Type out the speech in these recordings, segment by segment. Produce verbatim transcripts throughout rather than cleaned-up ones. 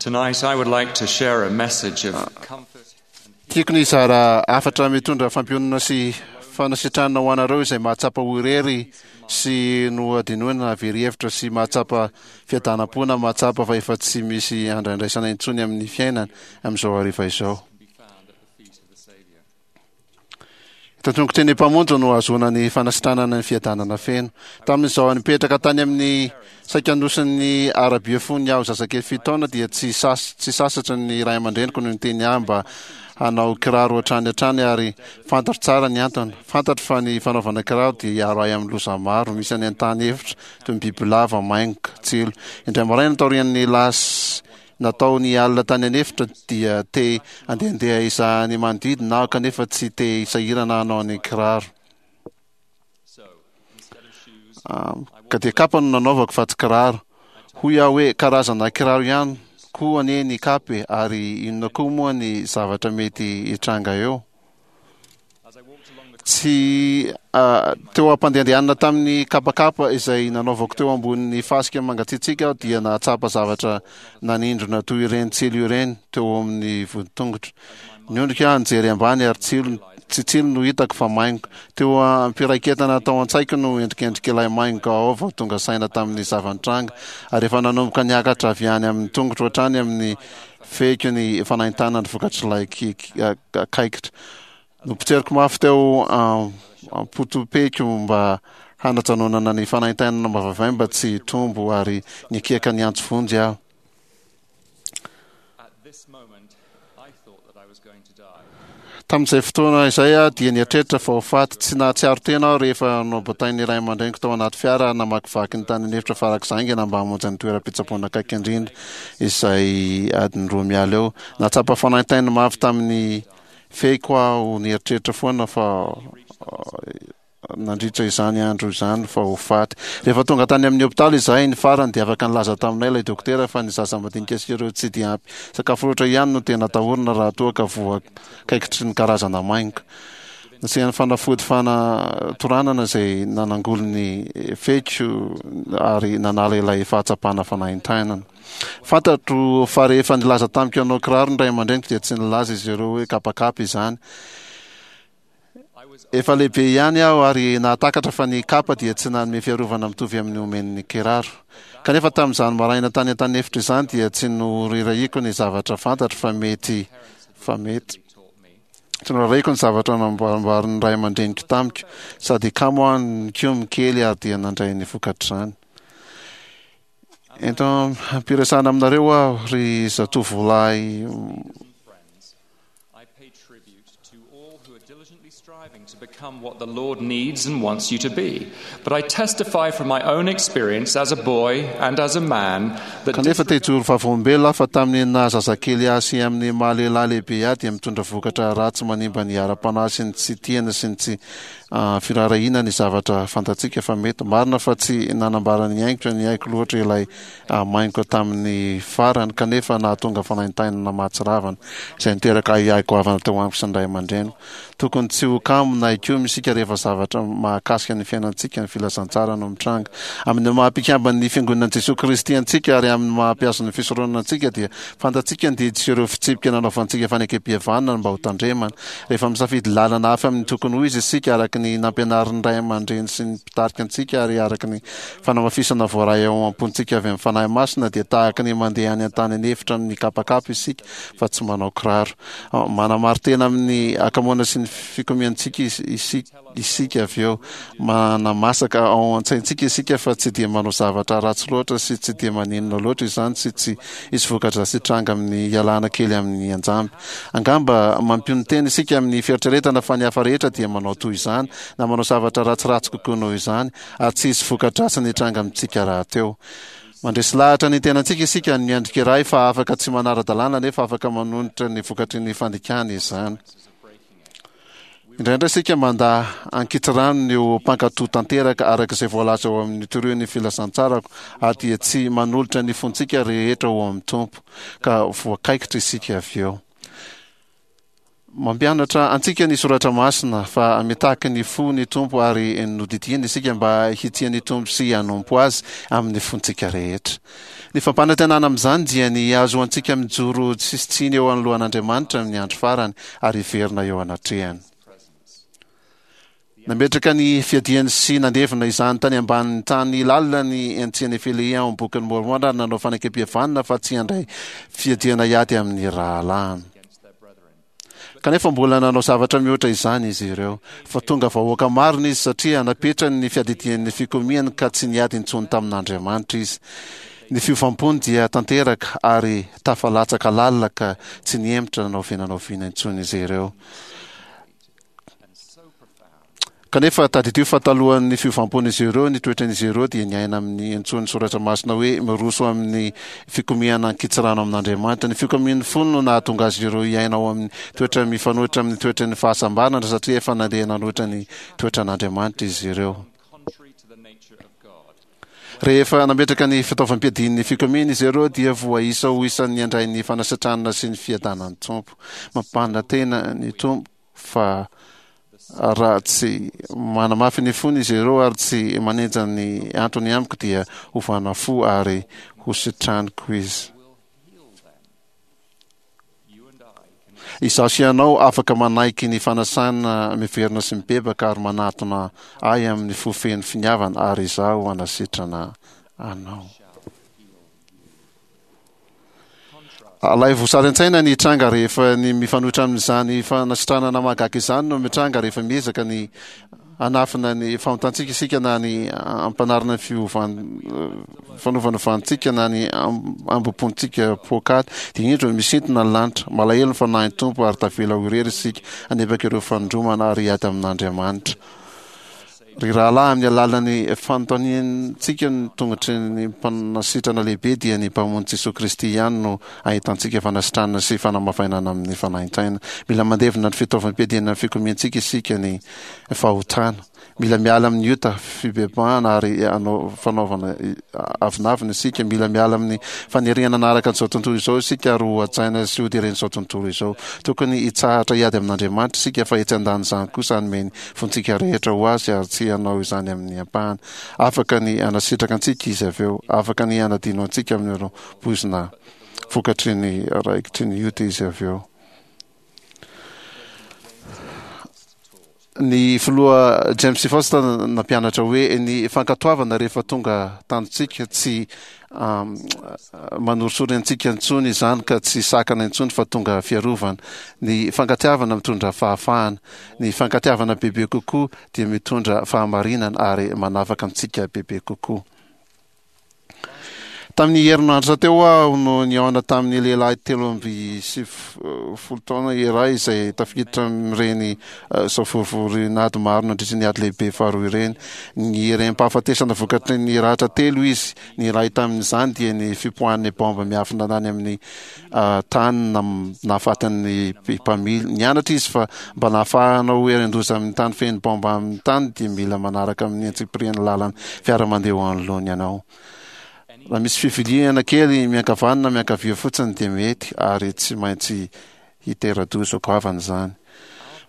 Tonight, I would like to share a message of comfort. Tiako ny hizara hafatra mitondra fampiononana sy fanasitranana ho anareo izay mahatsapa ho irery sy nohadinoina na very hevitra sy mahatsapa fiadanam-po na mahatsapa fa efa tsy misy andraindraisana intsony amin'ny fiainana amin'izao hariva izao. Eto an-tongotry ny Mpamonjy no ahazoana ny fanasitranana ny fiadanana feno. Tamin'izaho nipetraka tany amin'ny saika nosin'ny Arabia fony aho zazakely fito taona dia tsy sas tsy sasatra ny ray aman-dreniko no niteny ahy mba hanao kiraro hatrany hatrany ary fantatro tsara ny antony. Fantatro fa ny fanaovana kiraro dia hiaro ahy amin'ny loza maro misy any an-tany efitra toy ny bibilava, maingoka, tsilo. Indray maraina taorian'ny lasy natao ny alina tany an'efitra dia te handehandeha hizaha ny manodidina aho kanefa tsy te hisahirana hanao ny kiraro. Ka dia kapa no nanaovako fa tsy kiraro. Hoy aho hoe karazana kiraro ihany koa anie ny kapa e, ary inona koa moa ny zavatra mety hitranga eo? Tsy teo am-pandehandehanana tamin'ny kapakapa izay nanaovako teo ambonin'ny fasika mangatsiatsiaka aho dia nahatsapa zavatra nanindrona toy ireny tsilo ireny teo amin'ny voditongotro. Niondrika aho nijery ambany ary tsilo, tsy tsilo no hitako fa maingoka. Teo am-piraiketana tao an-tsaiko no endrikendrik'ilay maingoka ao vao tonga saina tamin'ny zava-nitranga ary efa nanomboka niakatra avy any amin'ny tongotro hatrany amin'ny fehiko ny fanaintainana vokatr'ilay kaikitra. Nopotseriko mafy teo am-potopeko mba hanajanonana ny fanaintainana mavavay mba tsy hitombo ary nikiaka niantso vonjy aho. Tamin'izay fotoana izay aho dia nieritreritra fa ho faty. Tsy nahatsiaro tena aho rehefa nobatain'ny ray aman-dreniko tao anaty fiara ary namakivaky ny tany an'efitra farak'izay haingana mba hamonjy ny toeram-pitsaboana akaiky indrindra izay adiny roa miala eo. Nahatsapa fanaintaina mafy tamin'ny fehiko aho nieritreritra foana fa nandritra izany andro izany fa ho faty. Rehefa tonga tany amin'ny hopitaly izahay ny farany dia afaka nilaza taminay ilay dokotera fa ny zaza madinika sy ireo tsy dia ampy sakafo loatra ihany no tena atahorana raha toa ka voakaikitry ny karazana maingoka. Nasiany fanafody fanatoranana izay nanangoly ny fehiko ary nanala ilay fahatsapana fanaintainana. Fantatro fa rehefa nilaza tamiko hanao kiraro ny ray aman-dreniko dia tsy nilaza izy ireo hoe kapakapa izany. Efa lehibe ihany aho ary nahatakatra fa ny kapa dia tsy nanome fiarovana mitovy amin'ny omen'ny kiraro. Kanefa tamin'izany maraina tany an-taniefitra izany dia tsy norirahiko ny zavatra fantatro fa mety fa mety. Tsy norahiko ny zavatra namboarimboarin'ny ray aman-dreniko tamiko. Sady kamo aho nikomy kely ary dia nandray ny vokatr'izany. Ento ampiresahana aminareo aho ry zatovolahy. I pay tribute to all who are diligently striving to become what the Lord needs and wants you to be. But I testify from my own experience as a boy and as a man that Kanefa te hijoro vavolombelona aho fa tamin'ny naha zazakely ahy sy amin'ny maha lehilahy lehibe ahy dia mitondra vokatra ratsy manimba ny ara-panahy sy ny tsy tiana sy ny tsy firaharahiana ny zavatra fantatsika fa mety. Marina fa tsy nanambara ny aingotra ny aiko loatra ilay maingoka tamin'ny farany, kanefa nahatonga fanaintainana mahatsiravina, izay niteraka ahiahy goavana teo amiko sy ny ray aman-dreniko. Tokony tsy ho kamo na hikomy isika rehefa zavatra mahakasika ny fiainantsika ny filazantsara no mitranga. Amin'ny maha mpikamban'ny Fiangonan'i Jesoa Kristy antsika ary amin'ny maha mpiazon'ny fisoronana antsika dia fantatsika ny didy sy ireo fitsipika nanaovantsika fanekempihavanana mba hotandremana. Rehefa misafidy lalana hafa amin'ny tokony ho izy isika araka ny nampianarin'ny ray aman-dreny sy ny mpitarika antsika ary araka ny fanamafisana voaray ao am-pontsika avy amin'ny Fanahy Masina dia tahaka ny mandeha any an-tany an'efitra mikapakapa isika fa tsy manao kiraro. Manamari-tena amin'ny hakamoana sy ny fikomiantsika isika avy eo. Manamasaka ao an-tsaintsika isika fa tsy dia manao zavatra ratsy loatra sy tsy dia maninona loatra izany sy tsy hisy voka-dratsy hitranga amin'ny hialana kely amin'ny anjamby. Angamba mampionon-tena isika amin'ny fieritreretana fa ny hafa rehetra dia manao toy izany na manao zavatra ratsiratsy kokoa noho izany ary tsy hisy voka-dratsiny hitranga amintsika rahateo. Mandresy lahatra ny tenantsika isika ny miandrika iray fa afaka tsy manara-dalàna nefa afaka manonitra ny vokatry ny fandikana izany. Indraindray isika mandà ankitsirano ny ho mpankatò tanteraka araka izay voalaza ao amin'ny Torio ny Filazantsarako ary dia tsy manolotra ny fontsika rehetra ho amin'ny Tompo, ka voakaikitra isika avy eo. Mampianatra antsika ny Soratra Masina fa mitaky ny fo ny Tompo ary nodidiany isika mba hitia ny Tompo sy hanompo Azy amin'ny fontsika rehetra. Ny fampanantenana amin'izany dia ny hahazoantsika mijoro tsisy tsiny eo anoloan'Andriamanitra amin'ny andro farany ary hiverina eo anatrehany. Nametraka ny fiadiany sy nandevina izany tany ambanin'ny tany lalina ny Antia-Nefilea ao amin'ny Bokin'i Môrmôna ary nanao fanekempihavanana fa tsy handray fiadiana hiady amin'ny rahalahiny. Kanefa mbola nanao zavatra mihoatra izany izy ireo. Fa tonga vahoaka marina izy satria napetrany ny fiadidian'ny fikomiany ka tsy niady intsony tamin'Andriamanitra izy. Ny fiovam-pony dia tanteraka ary tafalatsaka lalina ka tsy nihemotra na oviana na oviana intsony izy ireo. Kanefa tadidio fa talohan'ny fiovam-pon'izy ireo, ny toetran'izy ireo dia niaina amin'ny antsoin'ny Soratra Masina hoe miroso amin'ny fikomiana an-kitsirano amin'Andriamanitra. Ny fikomian'ny fony no nahatonga azy ireo hiaina ao amin'ny toetra mifanohitra amin'ny toetran'ny fahasambarana satria efa nandeha nanohitra ny toetran'Andriamanitra izy ireo. Rehefa nametraka ny fitaovam-piadian'ny fikomiana izy ireo dia voaisa ho isan'ny handray ny fanasitranana sy ny fiadanan'ny Tompo. Mampanantena ny Tompo fa raha tsy manamafy ny fony izy ireo ary tsy manenja ny antony amiko dia hovana fo ary hositraniko izy. Izaho sy ianao afaka manaiky ny fanasana miverina sy mibebaka ary manatona ahy amin'ny fo feno finiavana ary izaho hanasitrana anao. Alaivo sary an-tsaina ny hitranga rehefa ny mifanohitra amin'izany fanasitranana mahagaga izany no mitranga rehefa miezaka ny hanafina ny fahotantsika isika na ny hampanarina ny fiovan fanofanovantsika na ny ambom-pontsika poakaty dia indro misintona ny lanitra malahelo ny fanahin'ny Tompo ary tavela ho irery isika hanebaka ireo fanindromana ary hiady amin'Andriamanitra. Ry rahalahy, amin'ny alalan'ny fanontaniantsika ny tongotry ny Mpanasitrana lehibe, dia ny Mpamonjy Jesoa Kristy ihany no ahitantsika fanasitranana sy fanamavainana amin'ny fanaintaina. Mila mandevina ny fitaovam-piadiana ny fikomiantsika isika, ny fahotana. Mila miala amin'ny ota, fibebahana ary hanao fanaovana avonavona isika. Mila miala amin'ny faniriana hanaraka an'izao tontolo izao isika ary ho hajaina sy hoderen'izao tontolo izao. Tokony hitsahatra hiady amin'Andriamanitra isika fa etsy andanin'izany kosa hanome ny fontsika rehetra ho Azy ary tsy hanao izany amin'ny ampahany. Afaka ny hanasitraka antsika Izy avy eo. Afaka ny hanadino antsika amin'ireo poizina vokatry ny raikitry ny ota Izy avy eo. Ny filoha James Faust nampianatra hoe ny fankatoavana rehefa tonga tanjontsika tsy manorisory antsika intsony izany ka tsy sakana intsony fa tonga fiarovana. Ny fankatiavana mitondra fahafahana. Ny fankatiavana bebe kokoa dia mitondra fahamarinana ary manafaka antsika bebe kokoa. Tamin'ny herinandro teo aho no nihaona tamin'ny lehilahy telo amby sivifolo taona iray izay tafiditra amin'ireny eh, savorovorin'ady maro nandritra ny ady lehibe faharoa ireny. Niherem-pahafatesana vokatry ny ratra telo izy. Ny iray tamin'izany dia ny fipoahan'ny baomba miafina tany amin'ny eh, tany nahafaty ny mpamily. Nianatra izy fa mba nahafahana ho herin-doza amin'ny tany feno baomba amin'ny tany dia mila manaraka amin'ny antsipirian'ny lalan'ny fiara mandeha eo anoloany ianao. Raha misy fiviliana kely miankavanana na miankavia fotsiny dia mety ary tsy maintsy hitera-doza goavana izany.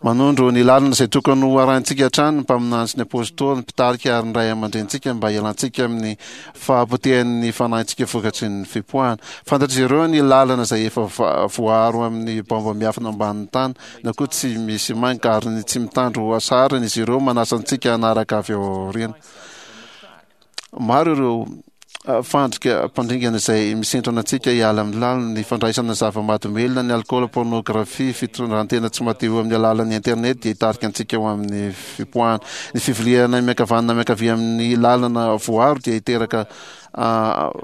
Manondro ny lalana izay tokony ho arahintsika hatrany ny mpaminany sy ny apostoly, ny mpitarika ary ny ray aman-drenintsika mba hialantsika amin'ny fahapotehan'ny fanahintsika vokatry ny fipoahana. Fantatr'izy ireo ny lalana izay efa voaaro amin'ny baomba miafina ambanin'ny tany na koa tsy misy mainka ary ny tsy mitandro hasarana izy ireo manasa antsika hanaraka avy ao aoriana. Maro ireo fandrika mpandringana izay misintona antsika hiala amin'ny lalina, ny fandraisana zava-mahadomelina, ny alikaola, pornografia, fitondrantena tsy madio amin'ny alalan'ny internet dia hitarika antsika ho amin'ny fipoahana. Ny fiviliana miankavanana miankavia amin'ny lalana voaro dia hiteraka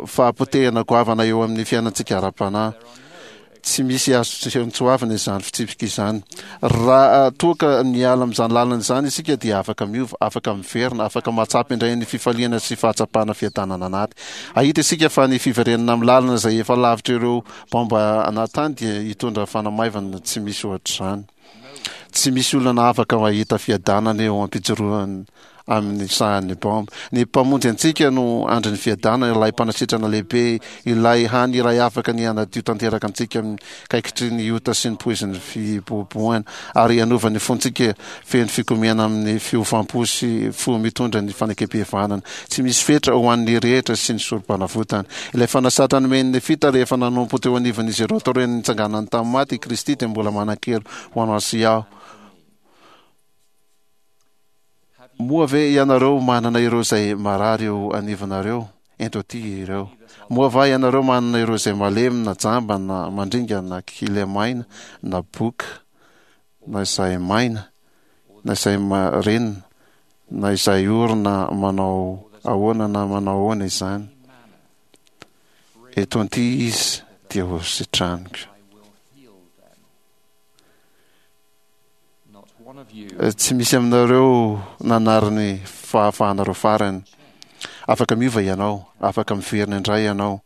fahapotehana goavana eo amin'ny fiainantsika ara-panahy. Tsy misy azo tsoavina izany fitsipika izany. Raha toa ka miala amin'izany lalana izany isika dia afaka miova, afaka miverina, afaka mahatsapa indray ny fifaliana sy fahatsapana fiadanana anaty. Hahita isika fa ny fiverenana amin'ny lalana izay efa lavitra ireo baomba anaty tany dia hitondra fanamaivana tsy misy ohatr'izany. Tsy misy olona afaka mahita fiadanana eo am-pijoroana amin'ny sahan'ny baomba. Ny Mpamonjy antsika no andrin'ny fiadanana, ilay mpanasitrana lehibe, ilay hany iray afaka ny hanadio tanteraka antsika amin'ny kaikitry ny ota sy ny poizin'ny fibohabohana, ary hanova ny fontsika feno fikomiana amin'ny fiovam-po sy fo mitondra ny fanekem-pihavanana tsy misy fetra ho an'ny rehetra sy ny sorom-panavotana. Ilay fanasatra nomen'ny Nefita rehefa nanompo teo anivon'izy ireo taorian'ny nitsanganany tamin'ny maty i Kristy dia mbola manan-kery ho anao sy aho. Moa ve ianareo manana ireo izay marary eo anivonareo? Ento aty ireo. Moa va ianareo manana ireo izay malemy na jamba na mandringa na kilemaina na boka na izay maina na izay marenina na izay ory na manao ahoana na manao ahoana izany? Eto anty izy dia ho sitraniko. Tsy misy aminareo nanary ny fahafahanareo farany. Afaka miova ianao, afaka miverina indray ianao,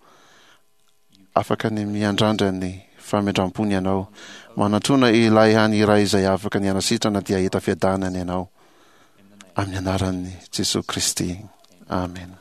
afaka ny miandrandra ny famindram-pony ianao. Manatona ilay hany iray izay afaka ny hanasitrana dia hahita fiadanana ianao. Amin'ny anaran'i Jesoa Kristy. Amena.